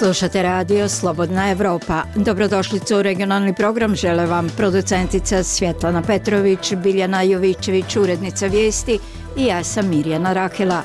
Slušate radio Slobodna Evropa. Dobrodošlicu u regionalni program žele vam producentica Svjetlana Petrović, Biljana Jovićević, urednica vijesti i ja sam Mirjana Rahela.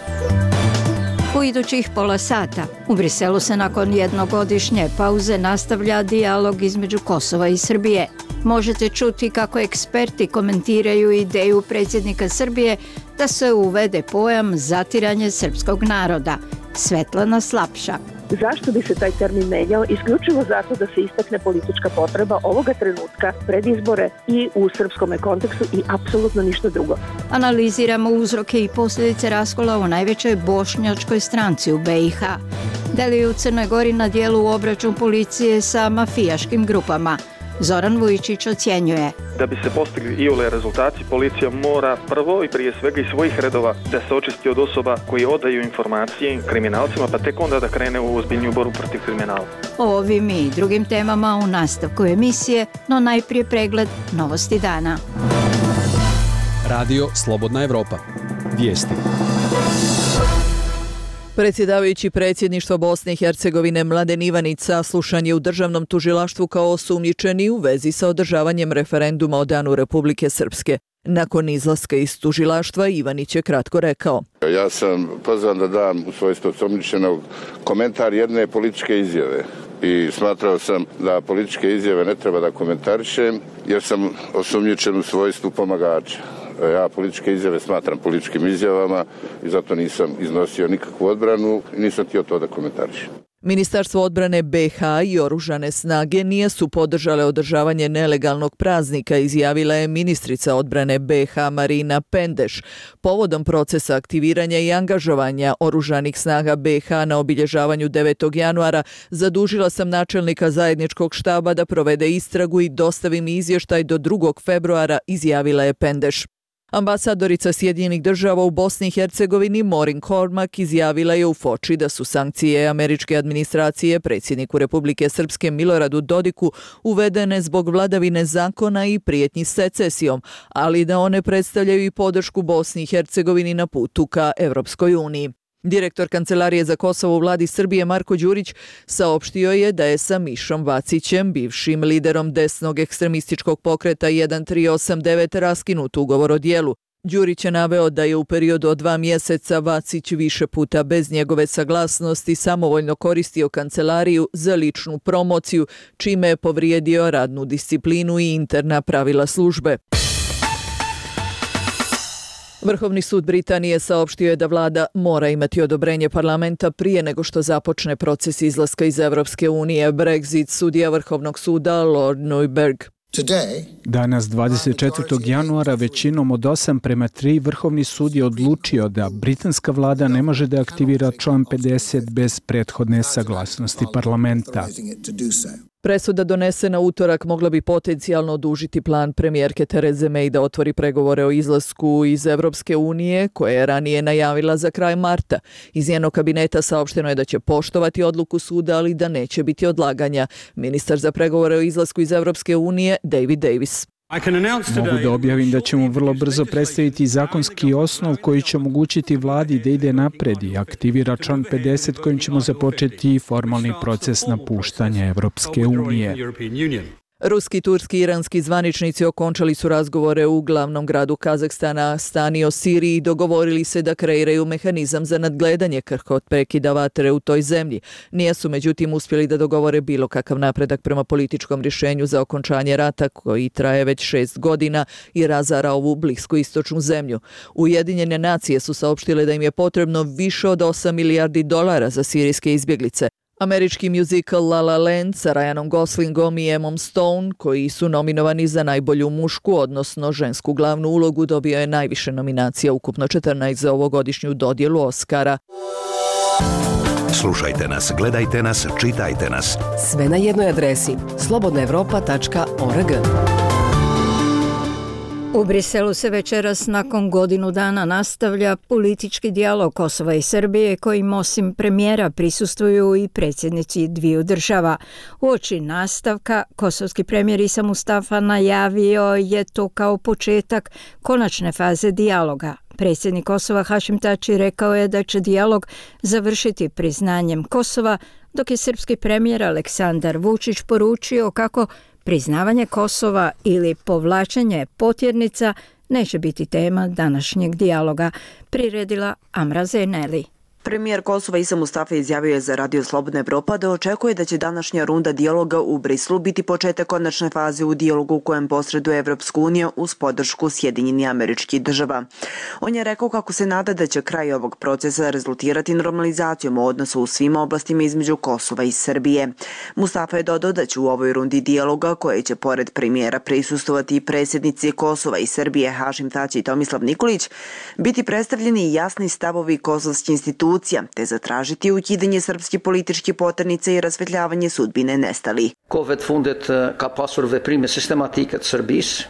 U idućih pola sata u Briselu se nakon jednogodišnje pauze nastavlja dijalog između Kosova i Srbije. Možete čuti kako eksperti komentiraju ideju predsjednika Srbije da se uvede pojam zatiranje srpskog naroda. Svetlana Slapša. Zašto bi se taj termin menjao? Isključivo zato da se istakne politička potreba ovoga trenutka pred izbore i u srpskom kontekstu i apsolutno ništa drugo. Analiziramo uzroke i posljedice raskola u najvećoj bošnjačkoj stranci u BiH. Da li je u Crnoj Gori na dijelu obračun policije sa mafijaškim grupama? Zoran Vujičić ocjenjuje. Da bi se postigli iole rezultati, policija mora prvo i prije svega iz svojih redova da se očisti od osoba koji odaju informacije kriminalcima, pa tek onda da krene u ozbiljniju borbu protiv kriminala. O ovim i drugim temama u nastavku emisije, no najprije pregled novosti dana. Radio Slobodna Evropa. Vijesti. Predsjedavajući predsjedništva Bosne i Hercegovine Mladen Ivanić saslušan je u državnom tužilaštvu kao osumnjičeni u vezi sa održavanjem referenduma o Danu Republike Srpske. Nakon izlaska iz tužilaštva Ivanić je kratko rekao: Ja sam pozvan da dam u svojstvu osumnjičenog komentar jedne političke izjave i smatrao sam da političke izjave ne treba da komentarišem jer sam osumnjičen u svojstvu pomagača. Ja političke izjave smatram političkim izjavama i zato nisam iznosio nikakvu odbranu i nisam htio to da komentarišem. Ministarstvo odbrane BiH i oružane snage nisu podržale održavanje nelegalnog praznika, izjavila je ministrica odbrane BiH Marina Pendeš. Povodom procesa aktiviranja i angažovanja oružanih snaga BiH na obilježavanju 9. januara zadužila sam načelnika zajedničkog štaba da provede istragu i dostavi mi izvještaj do 2. februara, izjavila je Pendeš. Ambasadorica Sjedinjenih država u Bosni i Hercegovini Maureen Cormack izjavila je u Foči da su sankcije američke administracije predsjedniku Republike Srpske Miloradu Dodiku uvedene zbog vladavine zakona i prijetnji secesijom, ali da one predstavljaju i podršku Bosni i Hercegovini na putu ka Evropskoj uniji. Direktor Kancelarije za Kosovo u vladi Srbije Marko Đurić saopštio je da je sa Mišom Vacićem, bivšim liderom desnog ekstremističkog pokreta 1389, raskinut ugovor o djelu. Đurić je naveo da je u periodu od 2 mjeseca Vacić više puta bez njegove saglasnosti samovoljno koristio kancelariju za ličnu promociju, čime je povrijedio radnu disciplinu i interna pravila službe. Vrhovni sud Britanije saopštio je da vlada mora imati odobrenje parlamenta prije nego što započne proces izlaska iz Evropske unije. Brexit sudija Vrhovnog suda Lord Neuberg. Danas 24. januara većinom od 8:3 Vrhovni sud je odlučio da britanska vlada ne može da aktivira član 50 bez prethodne saglasnosti parlamenta. Presuda donesena utorak mogla bi potencijalno odužiti plan premijerke Therese May da otvori pregovore o izlasku iz Evropske unije, koje je ranije najavila za kraj marta. Iz njenog kabineta saopšteno je da će poštovati odluku suda, ali da neće biti odlaganja. Ministar za pregovore o izlasku iz Evropske unije David Davis. Mogu da objavim da ćemo vrlo brzo predstaviti zakonski osnov koji će omogućiti vladi da ide napred i aktivira član 50 kojim ćemo započeti formalni proces napuštanja Evropske unije. Ruski, turski i iranski zvaničnici okončali su razgovore u glavnom gradu Kazahstana, Astani, o Siriji i dogovorili se da kreiraju mehanizam za nadgledanje krhkog prekida vatre u toj zemlji. Nisu međutim uspjeli da dogovore bilo kakav napredak prema političkom rješenju za okončanje rata koji traje već 6 godina i razara ovu bliskoistočnu zemlju. Ujedinjene nacije su saopštile da im je potrebno više od $8 milijardi za sirijske izbjeglice. Američki muzikal La La Land sa Ryanom Goslingom i Emmom Stone, koji su nominovani za najbolju mušku, odnosno žensku glavnu ulogu, dobio je najviše nominacija, ukupno 14 za ovogodišnju dodjelu Oscara. Slušajte nas, gledajte nas, čitajte nas. Sve na jednoj adresi slobodnaevropa.org. U Briselu se večeras nakon godinu dana nastavlja politički dijalog Kosova i Srbije kojim osim premijera prisustvuju i predsjednici dviju država. Uoči nastavka kosovski premijer Isa Mustafa najavio je to kao početak konačne faze dijaloga. Predsjednik Kosova Hašim Tači rekao je da će dijalog završiti priznanjem Kosova, dok je srpski premijer Aleksandar Vučić poručio kako priznavanje Kosova ili povlačenje potjernica neće biti tema današnjeg dijaloga, priredila Amra Zeneli. Premijer Kosova Isa Mustafa izjavio je za Radio Slobodna Evropa da očekuje da će današnja runda dijaloga u Brislu biti početak konačne faze u dijalogu u kojem posreduje Evropska unija uz podršku Sjedinjenih Američkih Država. On je rekao kako se nada da će kraj ovog procesa rezultirati normalizacijom odnosa u svim oblastima između Kosova i Srbije. Mustafa je dodao da će u ovoj rundi dijaloga, koje će pored premijera prisustvovati i predsjednici Kosova i Srbije Hašim Tači i Tomislav Nikolić, biti predstavljeni jasni stavovi kosovskih institucija te zatražiti ukidanje srpskih političkih poternica i rasvetljavanje sudbine nestalih.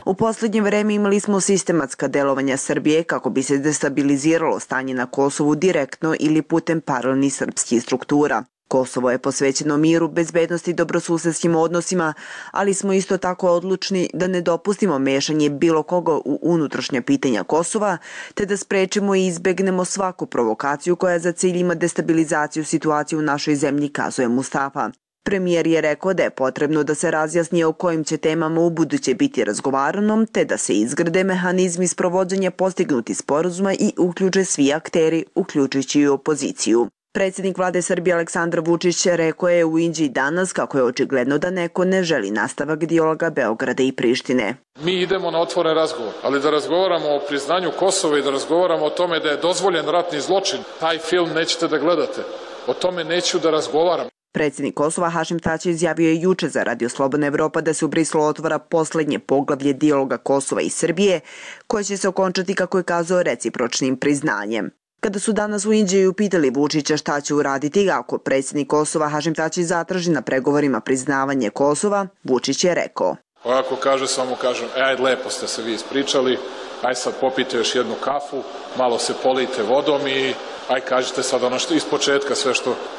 U posljednje vreme imali smo sistematska delovanja Srbije kako bi se destabiliziralo stanje na Kosovu direktno ili putem paralelnih srpskih struktura. Kosovo je posvećeno miru, bezbednosti i dobrosusedskim odnosima, ali smo isto tako odlučni da ne dopustimo mešanje bilo koga u unutrašnja pitanja Kosova, te da sprečimo i izbegnemo svaku provokaciju koja za cilj ima destabilizaciju situacije u našoj zemlji, kazuje Mustafa. Premijer je rekao da je potrebno da se razjasni o kojim će temama u buduće biti razgovarano, te da se izgrade mehanizmi sprovođenja postignutih sporazuma i uključe svi akteri, uključujući i opoziciju. Predsjednik vlade Srbije Aleksandar Vučić rekao je u Inđiji danas kako je očigledno da neko ne želi nastavak dijaloga Beograda i Prištine. Mi idemo na otvoren razgovor, ali da razgovaramo o priznanju Kosova i da razgovaramo o tome da je dozvoljen ratni zločin, taj film nećete da gledate. O tome neću da razgovaram. Predsjednik Kosova Hašim Tači izjavio je juče za Radio Slobodna Evropa da se u Brislu otvara poslednje poglavlje dijaloga Kosova i Srbije, koje će se okončati, kako je kazao, recipročnim priznanjem. Kada su danas u Inđiji upitali Vučića šta će uraditi ako predsjednik Kosova Hašim Tači zatraži na pregovorima priznavanje Kosova, Vučić je rekao: Ako kaže, samo kažem, ajde, lepo ste se vi ispričali, aj sad popijte još jednu kafu, malo se polijte vodom i aj kažete sad ono što ispočetka sve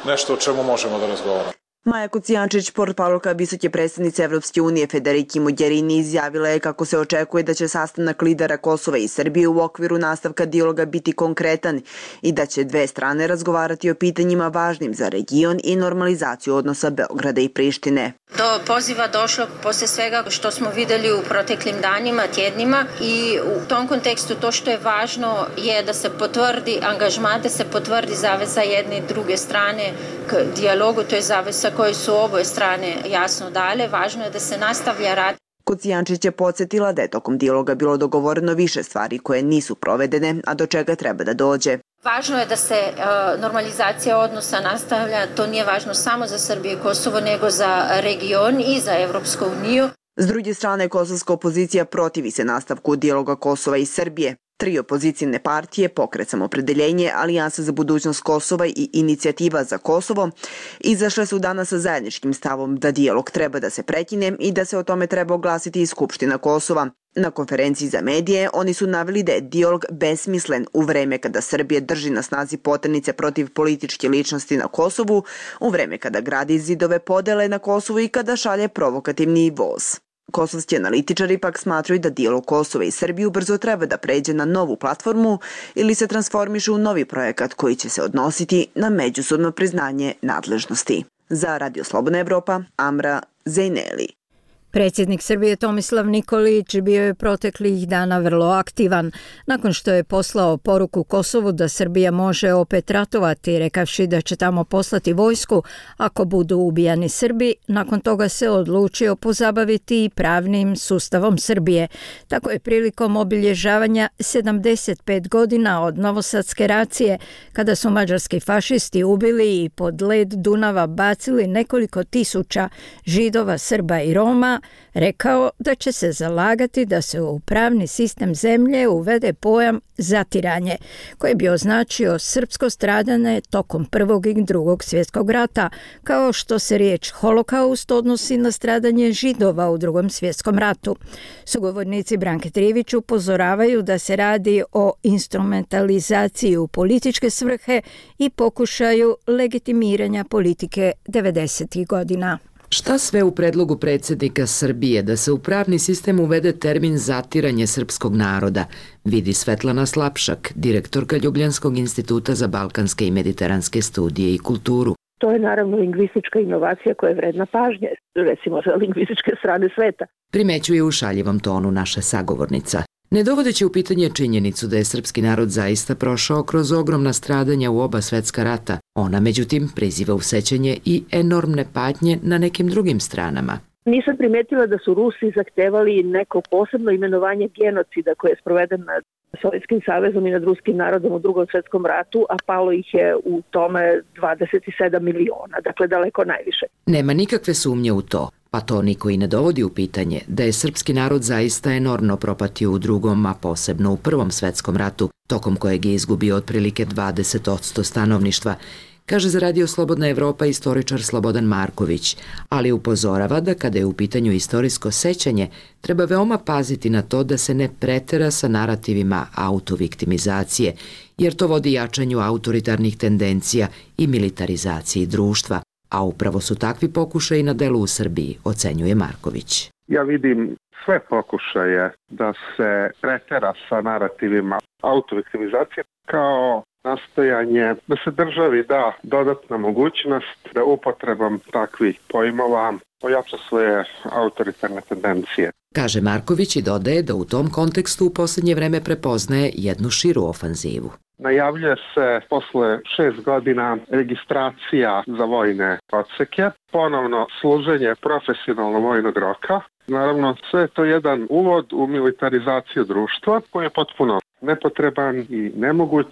nešto o čemu možemo da razgovaramo. Maja Kocijančić, portparolka visoke predstavnice Evropske unije Federiki Mogherini, izjavila je kako se očekuje da će sastanak lidera Kosova i Srbije u okviru nastavka dijaloga biti konkretan i da će dve strane razgovarati o pitanjima važnim za region i normalizaciju odnosa Beograda i Prištine. Do poziva došlo posle svega što smo videli u proteklim danima, tjednima, i u tom kontekstu to što je važno je da se potvrdi angažman, da se potvrdi zaveza jedne i druge strane k dijalogu, to je zaveza koje su oboje strane jasno dale. Važno je da se nastavlja rad. Kocijančić je podsjetila da je tokom dijaloga bilo dogovoreno više stvari koje nisu provedene, a do čega treba da dođe. Važno je da se normalizacija odnosa nastavlja, to nije važno samo za Srbiju i Kosovo, nego za region i za Evropsku uniju. S druge strane, kosovska opozicija protivi se nastavku dijaloga Kosova i Srbije. 3 opozicijne partije, Pokret Samopredeljenje, Alijansa za budućnost Kosova i Inicijativa za Kosovo, izašle su danas sa zajedničkim stavom da dijalog treba da se prekine i da se o tome treba oglasiti i Skupština Kosova. Na konferenciji za medije oni su naveli da je dijalog besmislen u vreme kada Srbija drži na snazi poternice protiv političke ličnosti na Kosovu, u vreme kada gradi zidove podele na Kosovu i kada šalje provokativni voz. Kosovski analitičari pak smatraju da dijalog Kosova i Srbije ubrzo treba da pređe na novu platformu ili se transformiše u novi projekat koji će se odnositi na međusobno priznanje nadležnosti. Za Radio Slobodna Evropa, Amra Zeneli. Predsjednik Srbije Tomislav Nikolić bio je proteklih dana vrlo aktivan nakon što je poslao poruku Kosovu da Srbija može opet ratovati, rekavši da će tamo poslati vojsku ako budu ubijani Srbi. Nakon toga se odlučio pozabaviti i pravnim sustavom Srbije. Tako je prilikom obilježavanja 75 godina od novosadske racije, kada su mađarski fašisti ubili i pod led Dunava bacili nekoliko tisuća Židova, Srba i Roma, rekao da će se zalagati da se u pravni sistem zemlje uvede pojam zatiranje, koji bi označio srpsko stradanje tokom Prvog i Drugog svjetskog rata, kao što se riječ holokaust odnosi na stradanje Židova u Drugom svjetskom ratu. Sugovornici Branke Trivić upozoravaju da se radi o instrumentalizaciji u političke svrhe i pokušaju legitimiranja politike 90. godina. Šta sve u predlogu predsjednika Srbije da se u pravni sistem uvede termin zatiranje srpskog naroda, vidi Svetlana Slapšak, direktorka Ljubljanskog instituta za balkanske i mediteranske studije i kulturu. To je naravno lingvistička inovacija koja je vredna pažnje, recimo za lingvističke strane sveta. Primećuje u šaljivom tonu naša sagovornica. Ne dovodeći u pitanje činjenicu da je srpski narod zaista prošao kroz ogromna stradanja u oba svetska rata, ona međutim priziva u sećanje i enormne patnje na nekim drugim stranama. Nisam primetila da su Rusi zahtevali neko posebno imenovanje genocida koje je sproveden nad Sovjetskim savezom i nad ruskim narodom u Drugom svetskom ratu, a palo ih je u tome 27 miliona, dakle daleko najviše. Nema nikakve sumnje u to, pa to niko i ne dovodi u pitanje, da je srpski narod zaista enormno propatio u Drugom, a posebno u Prvom svetskom ratu, tokom kojeg je izgubio otprilike 20% stanovništva, kaže za Radio Slobodna Evropa istoričar Slobodan Marković, ali upozorava da kada je u pitanju istorijsko sećanje, treba veoma paziti na to da se ne pretera sa narativima autoviktimizacije, jer to vodi jačanju autoritarnih tendencija i militarizaciji društva, a upravo su takvi pokušaji na delu u Srbiji, ocenjuje Marković. Ja vidim sve pokušaje da se pretera sa narativima autoviktimizacije kao nastojanje da se državi da dodatna mogućnost da upotrebom takvih pojmova ojača svoje autoritarne tendencije. Kaže Marković i dodaje da u tom kontekstu u posljednje vreme prepoznaje jednu širu ofanzivu. Najavljuje se posle 6 godina registracija za vojne odseke, ponovno služenje profesionalno vojnog roka. Naravno, sve je to jedan uvod u militarizaciju društva koji je potpuno nepotreban i nemoguć.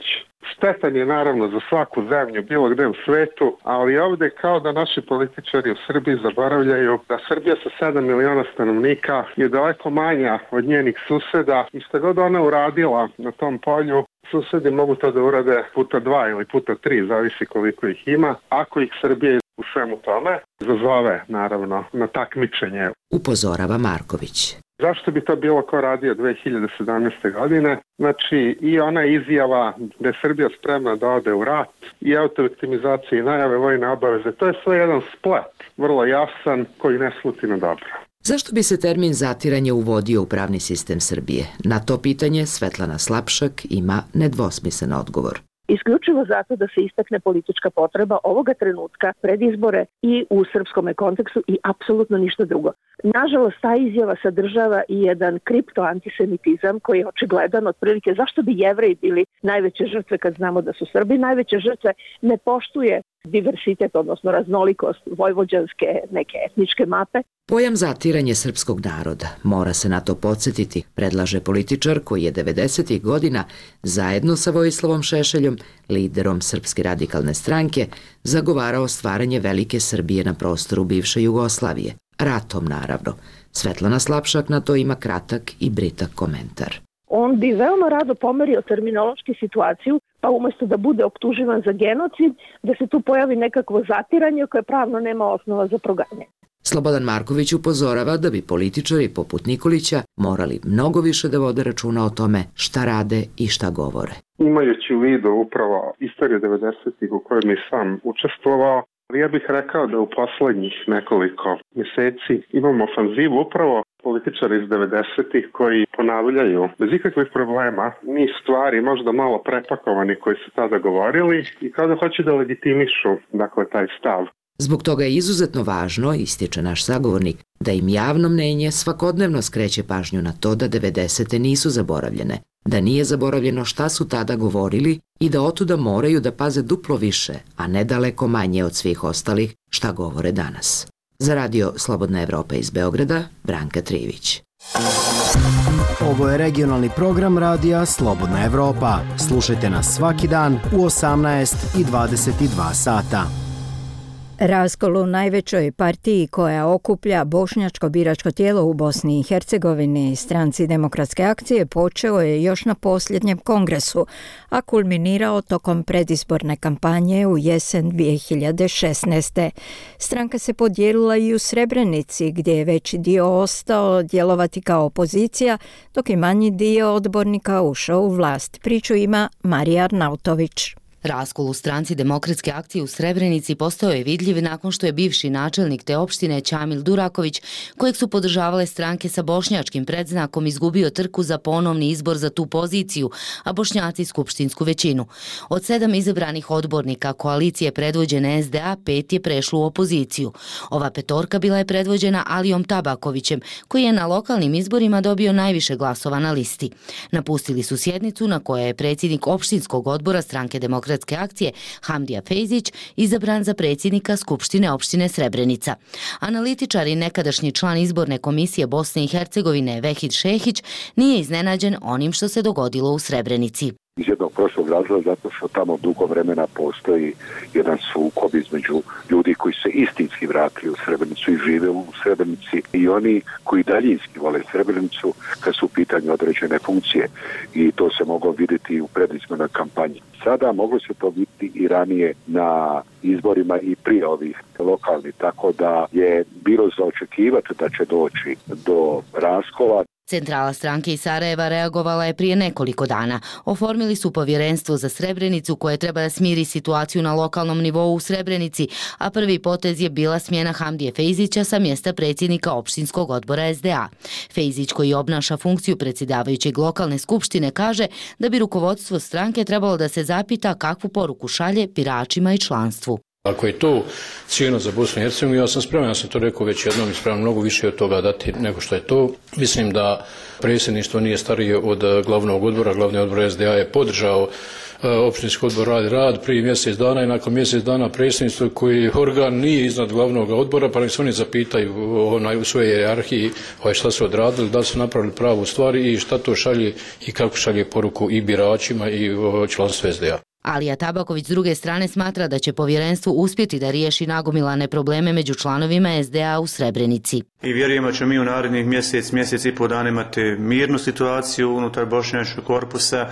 Štetan je naravno za svaku zemlju bilo gde u svetu, ali ovde kao da naši političari u Srbiji zaboravljaju da Srbija sa 7 miliona stanovnika je daleko manja od njenih suseda i što god ona uradila na tom polju, susedi mogu to da urade puta 2 ili puta 3, zavisi koliko ih ima, ako ih Srbija u svemu tome zazove naravno na takmičenje. Upozorava Marković. Zašto bi to bilo ko radio 2017. godine? Znači i ona izjava da je Srbija spremna da ode u rat i autoviktimizacija i najave vojne obaveze, to je sve jedan splet, vrlo jasan, koji ne sluti na dobro. Zašto bi se termin zatiranje uvodio u pravni sistem Srbije? Na to pitanje Svetlana Slapšak ima nedvosmislen odgovor. Isključivo zato da se istakne politička potreba ovoga trenutka pred izbore i u srpskom kontekstu i apsolutno ništa drugo. Nažalost, ta izjava sadržava i jedan kriptoantisemitizam koji je očigledan otprilike zašto bi Jevreji bili najveće žrtve kad znamo da su Srbi najveće žrtve, ne poštuje diversitet, odnosno raznolikost vojvođanske neke etničke mape. Pojam zatiranje srpskog naroda, mora se na to podsjetiti, predlaže političar koji je 90. godina zajedno sa Vojislavom Šešeljom, liderom Srpske radikalne stranke, zagovarao stvaranje velike Srbije na prostoru bivše Jugoslavije. Ratom, naravno. Svetlana Slapšak na to ima kratak i britak komentar. On bi veoma rado pomerio terminološki situaciju, pa umjesto da bude optuživan za genocid, da se tu pojavi nekakvo zatiranje koje pravno nema osnova za proganjanje. Slobodan Marković upozorava da bi političari poput Nikolića morali mnogo više da vode računa o tome šta rade i šta govore. Imajući u vidu upravo istoriju 90-ih u kojoj mi sam učestvovao, ja bih rekao da u poslednjih nekoliko mjeseci imamo ofanzivu upravo političara iz 90-ih koji ponavljaju bez ikakvih problema niz stvari, možda malo prepakovani koji su tada govorili i kao da hoće da legitimišu taj stav. Zbog toga je izuzetno važno, ističe naš sagovornik, da im javno mnenje svakodnevno skreće pažnju na to da 90. nisu zaboravljene, da nije zaboravljeno šta su tada govorili i da otuda moraju da paze duplo više, a ne daleko manje od svih ostalih šta govore danas. Za Radio Slobodna Evropa iz Beograda, Branka Trivić. Ovo je regionalni program Radija Slobodna Evropa. Slušajte nas svaki dan u 18 i 22 sata. Raskol u najvećoj partiji koja okuplja bošnjačko biračko tijelo u Bosni i Hercegovini, Stranci demokratske akcije, počeo je još na posljednjem kongresu, a kulminirao tokom predizborne kampanje u jesen 2016. Stranka se podijelila i u Srebrenici, gdje je veći dio ostao djelovati kao opozicija, dok je manji dio odbornika ušao u vlast. Priču ima Marija Arnautović. Raskol u stranci Demokratske akcije u Srebrenici postao je vidljiv nakon što je bivši načelnik te opštine Ćamil Duraković, kojeg su podržavale stranke sa bošnjačkim predznakom, izgubio trku za ponovni izbor za tu poziciju, a Bošnjaci skupštinsku većinu. Od 7 izabranih odbornika koalicije predvođene SDA, 5 je prešlo u opoziciju. Ova petorka bila je predvođena Alijom Tabakovićem, koji je na lokalnim izborima dobio najviše glasova na listi. Napustili su sjednicu na kojoj je predsjednik opštinskog odbora stranke Demokratske akcije Hamdija Fejzić izabran za predsjednika Skupštine opštine Srebrenica. Analitičar i nekadašnji član izborne komisije Bosne i Hercegovine Vehid Šehić nije iznenađen onim što se dogodilo u Srebrenici. Iz jednog prostog razloga zato što tamo dugo vremena postoji jedan sukob između ljudi koji se istinski vratili u Srebrenicu i žive u Srebrenici i oni koji daljinski vole Srebrenicu kad su u pitanju određene funkcije, i to se moglo vidjeti u predizbornoj kampanji. Sada moglo se to vidjeti i ranije na izborima i prije ovih lokalnih, tako da je bilo za očekivati da će doći do raskola. Centrala stranke iz Sarajeva reagovala je prije nekoliko dana. Oformili su povjerenstvo za Srebrenicu koje treba da smiri situaciju na lokalnom nivou u Srebrenici, a prvi potez je bila smjena Hamdije Fejzića sa mjesta predsjednika opštinskog odbora SDA. Fejzić, koji obnaša funkciju predsjedavajućeg lokalne skupštine, kaže da bi rukovodstvo stranke trebalo da se zapita kakvu poruku šalje biračima i članstvu. Ako je to cijena za Bosnu i Hercegovinu, ja sam to rekao već jednom i spreman mnogo više od toga dati nego što je to. Mislim da predsjedništvo nije starije od glavnog odbora. Glavni odbor SDA je podržao opštinski odbor rad prije mjesec dana i nakon mjesec dana predsjedništvo koji organ nije iznad glavnog odbora, pa nek se oni zapitaju u svojoj hijerarhiji šta su odradili, da li su napravili pravu stvar i šta to šalje i kako šalje poruku i biračima i članstvu SDA. Alija Tabaković s druge strane smatra da će povjerenstvo uspjeti da riješi nagomilane probleme među članovima SDA u Srebrenici. I vjerujemo da ćemo mi u narednih mjesec i pol dana imati mirnu situaciju unutar bošnjačkog korpusa,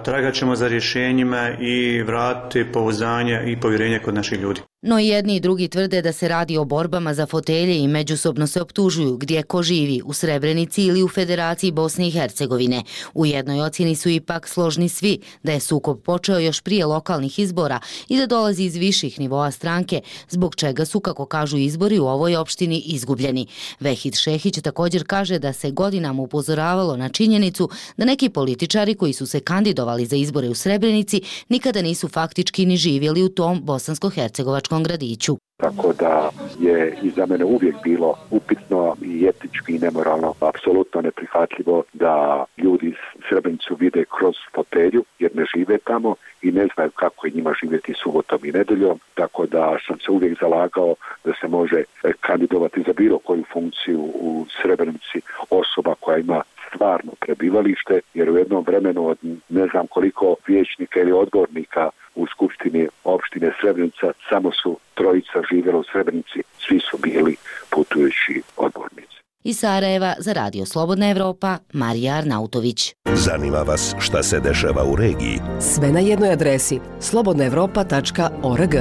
tragat ćemo za rješenjima i vratiti pouzdanje i povjerenje kod naših ljudi. No i jedni i drugi tvrde da se radi o borbama za fotelje i međusobno se optužuju gdje ko živi, u Srebrenici ili u Federaciji Bosne i Hercegovine. U jednoj ocjeni su ipak složni svi da je sukob počeo još prije lokalnih izbora i da dolazi iz viših nivoa stranke, zbog čega su, kako kažu, izbori u ovoj opštini izgubljeni. Vehid Šehić također kaže da se godinama upozoravalo na činjenicu da neki političari koji su se kandidovali za izbore u Srebrenici nikada nisu faktički ni živjeli u tom bosansko-hercegovačkom gradiću. Tako da je i za mene uvijek bilo upitno i etički i nemoralno, apsolutno neprihvatljivo da ljudi Srebrenicu vide kroz fotelju jer ne žive tamo i ne znaju kako je njima živjeti subotom i nedeljom, tako da sam se uvijek zalagao da se može kandidovati za bilo koju funkciju u Srebrenici osoba koja ima stvarno prebivalište, jer u jednom vremenu od ne znam koliko vijećnika ili odbornika u skupštini opštine Srebrenica samo su trojica živjela u Srebrenici, svi su bili putujući odbornici. Iz Sarajeva za Radio Slobodna Evropa, Marija Arnautović. Zanima vas šta se dešava u regiji? Sve na jednoj adresi slobodnaevropa.org.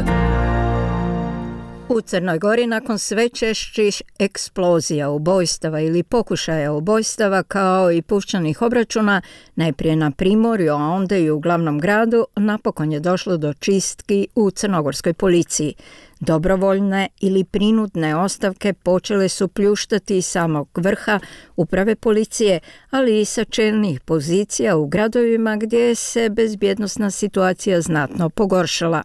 U Crnoj Gori nakon sve češćih eksplozija, ubojstava ili pokušaja ubojstava kao i puščanih obračuna, najprije na primorju, a onda i u glavnom gradu, napokon je došlo do čistki u crnogorskoj policiji. Dobrovoljne ili prinudne ostavke počele su pljuštati iz samog vrha uprave policije, ali i sa čelnih pozicija u gradovima gdje se bezbjednosna situacija znatno pogoršala.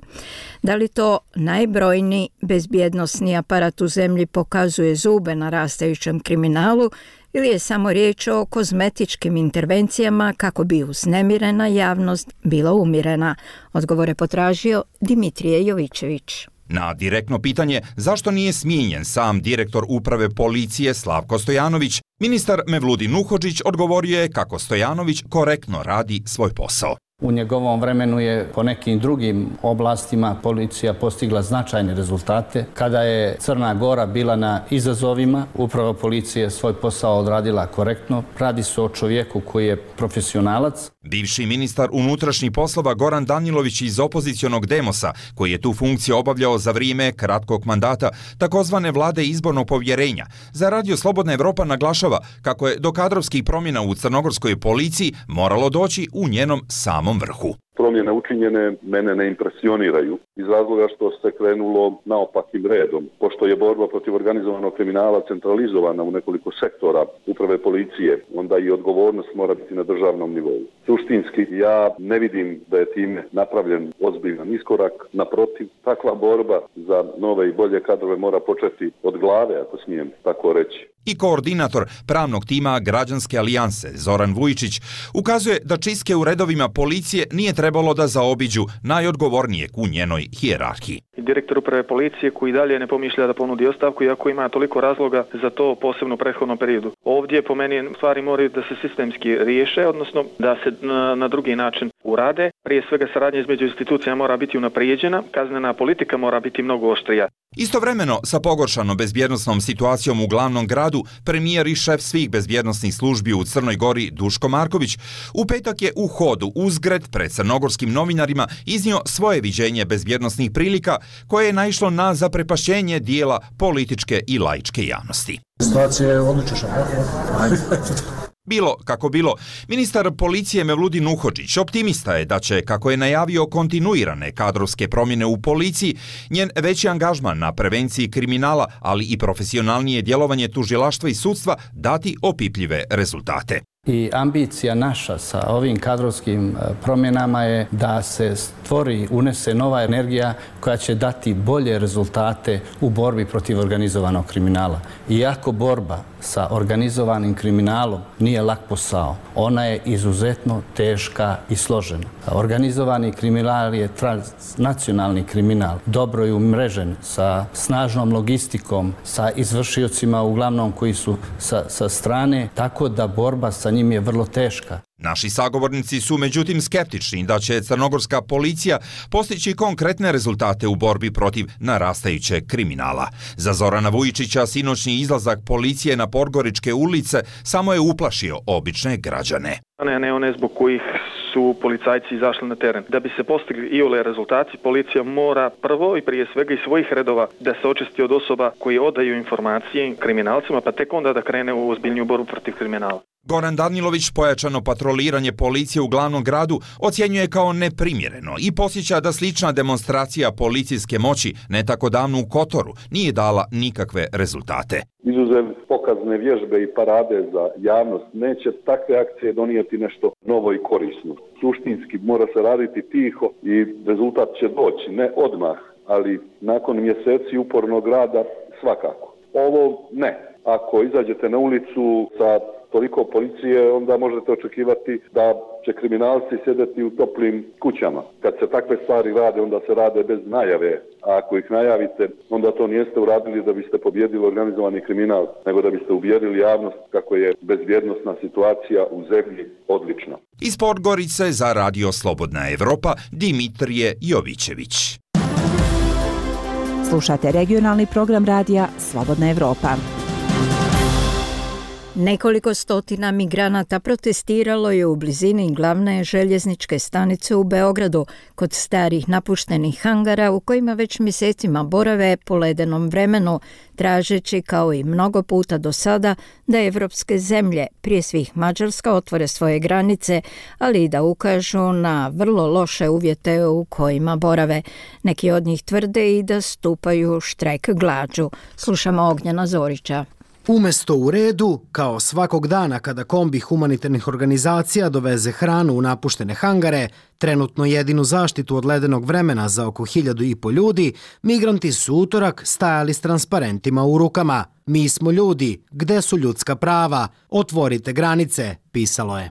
Da li to najbrojniji bezbjednosni aparat u zemlji pokazuje zube na rastajućem kriminalu ili je samo riječ o kozmetičkim intervencijama kako bi uznemirena javnost bila umirena? Odgovore potražio Dimitrije Jovićević. Na direktno pitanje zašto nije smijenjen sam direktor uprave policije Slavko Stojanović, ministar Mevludin Nuhodžić odgovorio je kako Stojanović korektno radi svoj posao. U njegovom vremenu je po nekim drugim oblastima policija postigla značajne rezultate. Kada je Crna Gora bila na izazovima, uprava policije svoj posao odradila korektno. Radi se o čovjeku koji je profesionalac. Bivši ministar unutrašnjih poslova Goran Danilović iz opozicionog Demosa, koji je tu funkciju obavljao za vrijeme kratkog mandata takozvane vlade izbornog povjerenja, za Radio Slobodna Evropa naglašava kako je do kadrovskih promjena u crnogorskoj policiji moralo doći u njenom samom vrhu. promjene učinjene mene ne impresioniraju iz razloga što se krenulo naopakim redom. Pošto je borba protiv organizovanog kriminala centralizovana u nekoliko sektora uprave policije, onda i odgovornost mora biti na državnom nivou. Suštinski, ja ne vidim da je time napravljen ozbiljan iskorak. Naprotiv, takva borba za nove i bolje kadrove mora početi od glave, ako smijem tako reći. I koordinator pravnog tima Građanske alijanse Zoran Vujičić ukazuje da čistke u redovima policije nije trebalo da zaobiđu najodgovornijeg u njenoj hijerarhiji. Direktor uprave policije koji dalje ne pomišlja da ponudi ostavku, iako ima toliko razloga za to, posebno u prethodnom periodu. Ovdje po meni stvari moraju da se sistemski riješe, odnosno da se na drugi način urade. Prije svega saradnja između institucija mora biti unaprijeđena, kaznena politika mora biti mnogo oštrija. Istovremeno, sa pogoršanom bezbjednosnom situacijom u glavnom gradu, premijer i šef svih bezbjednosnih službi u Crnoj Gori Duško Marković u petak je u hodu uzgred pred crnogorskim novinarima iznio svoje viđenje bezbjednosnih prilika koje je naišlo na zaprepašćenje dijela političke i laičke javnosti. Situacija je odlična. Bilo kako bilo, ministar policije Mevludin Uhodžić optimista je da će, kako je najavio kontinuirane kadrovske promjene u policiji, njen veći angažman na prevenciji kriminala, ali i profesionalnije djelovanje tužilaštva i sudstva dati opipljive rezultate. I ambicija naša sa ovim kadrovskim promjenama je da se stvori, unese nova energija koja će dati bolje rezultate u borbi protiv organizovanog kriminala. Iako borba sa organizovanim kriminalom nije lak posao, ona je izuzetno teška i složena. Organizovani kriminal je transnacionalni kriminal, dobro je umrežen sa snažnom logistikom, sa izvršiocima uglavnom koji su sa strane, tako da borba sa njim je vrlo teška. Naši sagovornici su međutim skeptični da će crnogorska policija postići konkretne rezultate u borbi protiv narastajućeg kriminala. Za Zorana Vujičića sinoćni izlazak policije na Podgoričke ulice samo je uplašio obične građane. Ne one zbog kojih su policajci izašli na teren. Da bi se postigli iole rezultati, policija mora prvo i prije svega iz svojih redova da se očisti od osoba koji odaju informacije kriminalcima, pa tek onda da krene u ozbiljniju borbu protiv kriminala. Goran Danilović pojačano patroliranje policije u glavnom gradu ocjenjuje kao neprimjereno i podsjeća da slična demonstracija policijske moći ne tako davno u Kotoru nije dala nikakve rezultate. Izuzev pokazne vježbe i parade za javnost, neće takve akcije donijeti nešto novo i korisno. Suštinski mora se raditi tiho i rezultat će doći, ne odmah, ali nakon mjeseci upornog rada svakako. Ovo ne. Ako izađete na ulicu sa toliko policije, onda možete očekivati da će kriminalci sjedeti u toplim kućama. Kad se takve stvari rade, onda se rade bez najave. A ako ih najavite, onda to niste uradili da biste pobjedili organizovani kriminal, nego da biste uvjerili javnost kako je bezbjednosna situacija u zemlji odlična. Iz Podgorice za Radio Slobodna Evropa, Dimitrije Jovićević. Slušate regionalni program radija Slobodna Evropa. Nekoliko stotina migranata protestiralo je u blizini glavne željezničke stanice u Beogradu kod starih napuštenih hangara u kojima već mjesecima borave po ledenom vremenu, tražeći kao i mnogo puta do sada da evropske zemlje, prije svih Mađarska, otvore svoje granice, ali i da ukažu na vrlo loše uvjete u kojima borave. Neki od njih tvrde i da stupaju štrajk glađu. Slušamo Ognjena Zorića. Umjesto u redu, kao svakog dana kada kombi humanitarnih organizacija doveze hranu u napuštene hangare, trenutno jedinu zaštitu od ledenog vremena za oko 1.500 ljudi, migranti su utorak stajali s transparentima u rukama. Mi smo ljudi, gde su ljudska prava? Otvorite granice, pisalo je.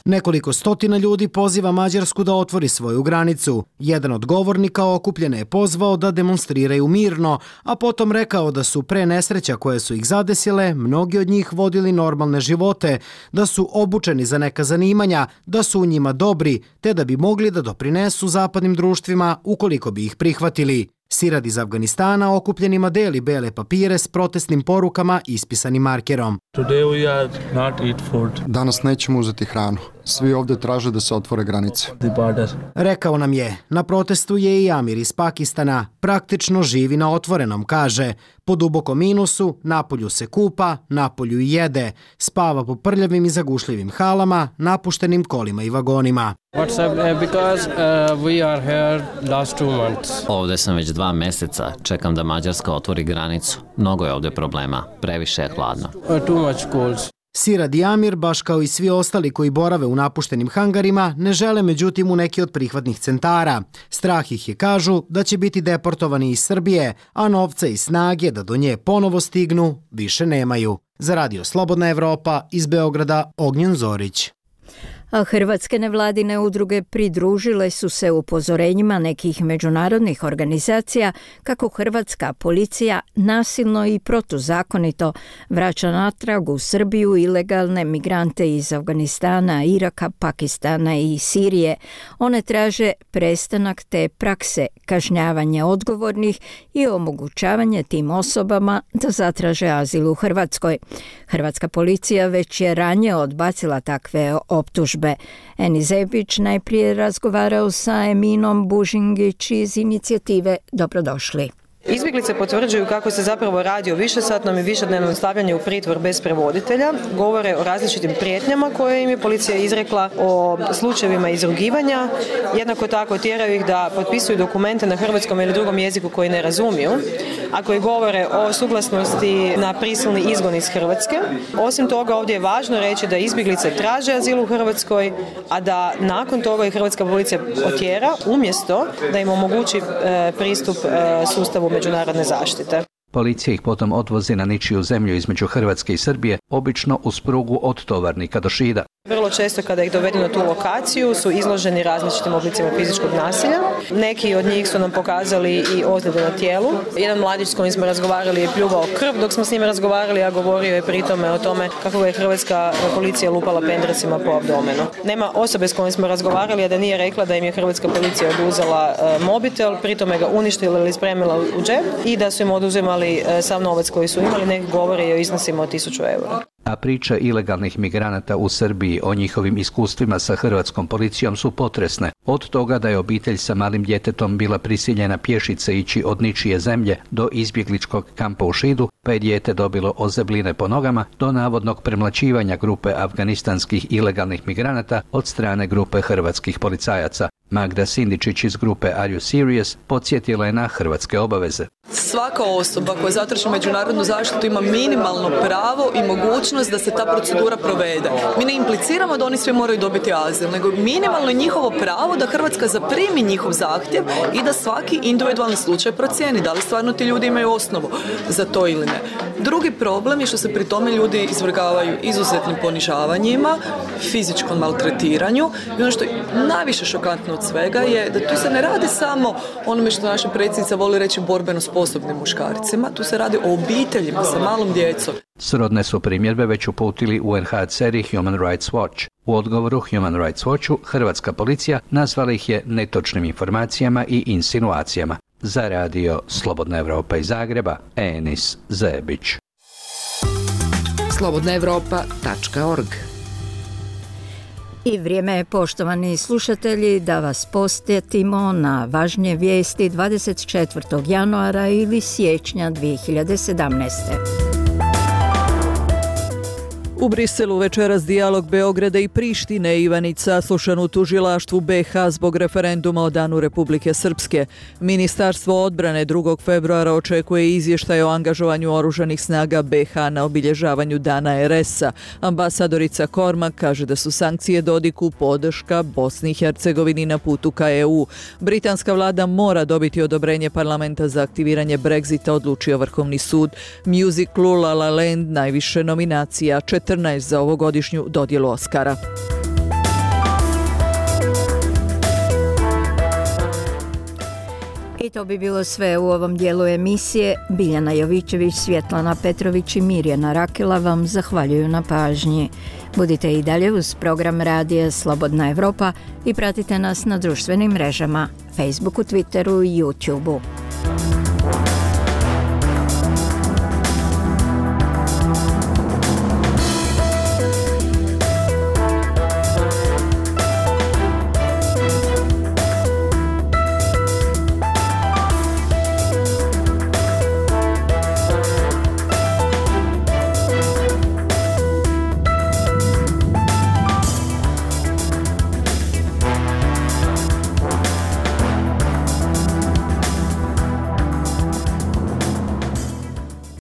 Nekoliko stotina ljudi poziva Mađarsku da otvori svoju granicu. Jedan od govornika okupljene je pozvao da demonstriraju mirno, a potom rekao da su pre nesreća koje su ih zadesile, mnogi od njih vodili normalne živote, da su obučeni za neka zanimanja, da su u njima dobri, te da bi mogli da doprinesu zapadnim društvima ukoliko bi ih prihvatili. Sirad iz Afganistana okupljenima deli bele papire s protestnim porukama ispisanim markerom. Danas nećemo uzeti hranu. Svi ovdje traže da se otvore granice. Rekao nam je, na protestu je i Amir iz Pakistana, praktično živi na otvorenom, kaže. Po dubokom minusu, napolju se kupa, napolju i jede, spava po prljavim i zagušljivim halama, napuštenim kolima i vagonima. Ovdje sam već 2 mjeseca, čekam da Mađarska otvori granicu. Mnogo je ovdje problema, previše je hladno. Sirad i Amir, baš kao i svi ostali koji borave u napuštenim hangarima, ne žele međutim u neki od prihvatnih centara. Strah ih je, kažu, da će biti deportovani iz Srbije, a novca i snage da do nje ponovo stignu više nemaju. Za Radio Slobodna Evropa, iz Beograda, Ognjen Zorić. A hrvatske nevladine udruge pridružile su se upozorenjima nekih međunarodnih organizacija kako hrvatska policija nasilno i protuzakonito vraća natrag u Srbiju ilegalne migrante iz Afganistana, Iraka, Pakistana i Sirije. One traže prestanak te prakse, kažnjavanje odgovornih i omogućavanje tim osobama da zatraže azil u Hrvatskoj. Hrvatska policija već je ranije odbacila takve optužbe. Eni Zebić najprije razgovarao sa Eminom Bužingić iz inicijative Dobrodošli. Izbjeglice potvrđuju kako se zapravo radi o višesatnom i višednevnom stavljanju u pritvor bez prevoditelja, govore o različitim prijetnjama koje im je policija izrekla, o slučajevima izrugivanja, jednako tako tjeraju ih da potpisuju dokumente na hrvatskom ili drugom jeziku koji ne razumiju, a koji govore o suglasnosti na prisilni izgon iz Hrvatske. Osim toga, ovdje je važno reći da izbjeglice traže azil u Hrvatskoj, a da nakon toga i hrvatska policija otjera umjesto da im omogući pristup sustavu međunarodne zaštite. Policija ih potom odvozi na ničiju zemlju između Hrvatske i Srbije, obično uz prugu od Tovarnika do Šida. Vrlo često kada ih dovedu na tu lokaciju su izloženi različitim oblicima fizičkog nasilja. Neki od njih su nam pokazali i ozljede na tijelu. Jedan mladić s kojim smo razgovarali je pljuvao krv dok smo s njim razgovarali, a govorio je pritome o tome kako je hrvatska policija lupala pendrecima po abdomenu. Nema osobe s kojim smo razgovarali, a da nije rekla da im je hrvatska policija oduzela mobitel, pritome ga uništila ili spremila u džep i da su im oduzimali sav novac koji su imali, neki govore i o iznosima od 1000 eura. A priče ilegalnih migranata u Srbiji o njihovim iskustvima sa hrvatskom policijom su potresne. Od toga da je obitelj sa malim djetetom bila prisiljena pješice ići od ničije zemlje do izbjegličkog kampa u Šidu, pa je dijete dobilo ozebline po nogama, do navodnog premlaćivanja grupe afganistanskih ilegalnih migranata od strane grupe hrvatskih policajaca. Magda Sindičić iz grupe Are You Serious podsjetila je na hrvatske obaveze. Svaka osoba koja zatraži međunarodnu zaštitu ima minimalno pravo i mogućnost da se ta procedura provede. Mi ne impliciramo da oni svi moraju dobiti azil, nego minimalno je njihovo pravo da Hrvatska zaprimi njihov zahtjev i da svaki individualni slučaj procijeni da li stvarno ti ljudi imaju osnovu za to ili ne. Drugi problem je što se pri tome ljudi izvrgavaju izuzetnim ponižavanjima, fizičkom maltretiranju i ono što je najviše šokantno od svega je da tu se ne radi samo onome što naša predsjednica voli reći borbeno sposobnim muškarcima, tu se radi o obiteljima sa malom djecom. Srodne su primjedbe već uputili UNHCR i Human Rights Watch. U odgovoru Human Rights Watchu hrvatska policija nazvala ih je netočnim informacijama i insinuacijama. Za Radio Slobodna Evropa iz Zagreba, Enis Zebić. slobodnaevropa.org. I vrijeme je, poštovani slušatelji, da vas posjetimo na važnije vijesti 24. januara ili siječnja 2017. U Briselu večeras dijalog Beograda i Prištine. Ivanica slušan u tužilaštvu BiH zbog referenduma o Danu Republike Srpske. Ministarstvo odbrane 2. februara očekuje izvještaj o angažovanju oružanih snaga BiH na obilježavanju Dana RS-a. Ambasadorica Kormak kaže da su sankcije Dodiku podrška Bosni i Hercegovini na putu ka EU. Britanska vlada mora dobiti odobrenje parlamenta za aktiviranje Brexita, odlučio Vrhovni sud. Musiclu La La Land najviše nominacija, 14 za ovogodišnju dodjelu Oscara. I to bi bilo sve u ovom dijelu emisije. Biljana Jovićević, Svjetlana Petrović i Mirjana Rakela vam zahvaljuju na pažnji. Budite i dalje uz program Radija Slobodna Evropa i pratite nas na društvenim mrežama, Facebooku, Twitteru i YouTubeu.